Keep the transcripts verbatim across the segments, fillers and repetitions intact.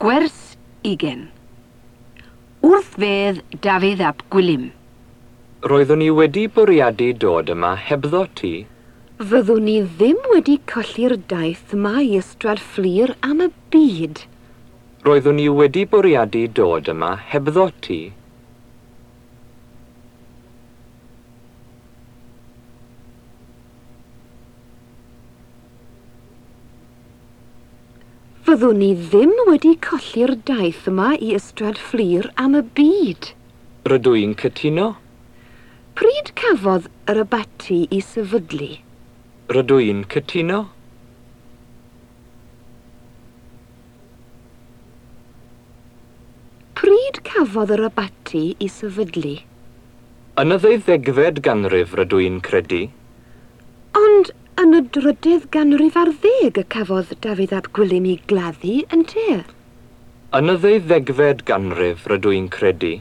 Gwers ugain. Wrth fedd Dafydd ap Gwilym. Roeddwn i wedi bwriadu dod yma hebddo ti. Fyddwn ni ddim wedi colli'r daith yma i Ystrad Fflur am y byd. Roeddwn i wedi bwriadu dod yma hebddo ti. Fyddwn ni ddim wedi colli'r daith yma i Ystrad Fflur am y byd. Rydw i'n cytuno. Pryd cafodd yr abaty ei sefydlu? Rydw i'n cytuno. Pryd cafodd yr abaty ei sefydlu? Yn y ddeuddegfed ganrif rydw i'n credu. Ond yn y drydydd ganrif ar ddeg y cafodd Dafydd ap Gwilym ei gladdu ynte? Yn y ddeuddegfed ganrif rydw i'n credu.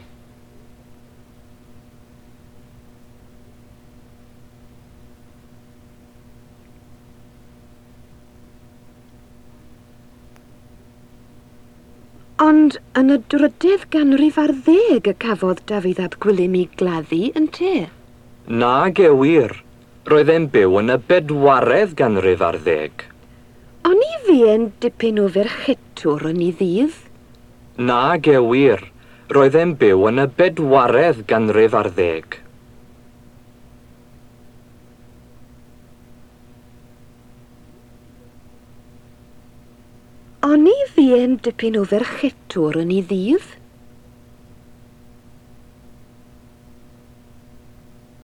Ond yn y drydydd ganrif ar ddeg y cafodd Dafydd ap Gwilym ei gladdu ynte? Nage wir. Roedd e'n byw yn y bedwaredd ganrif ar ddeg. Oni fu'n dipyn o ferchetwr yn ei ddydd? Nage wir. Roedd e'n byw yn y bedwaredd ganrif ar ddeg. Oni fu'n dipyn o ferchetwr yn ei ddydd?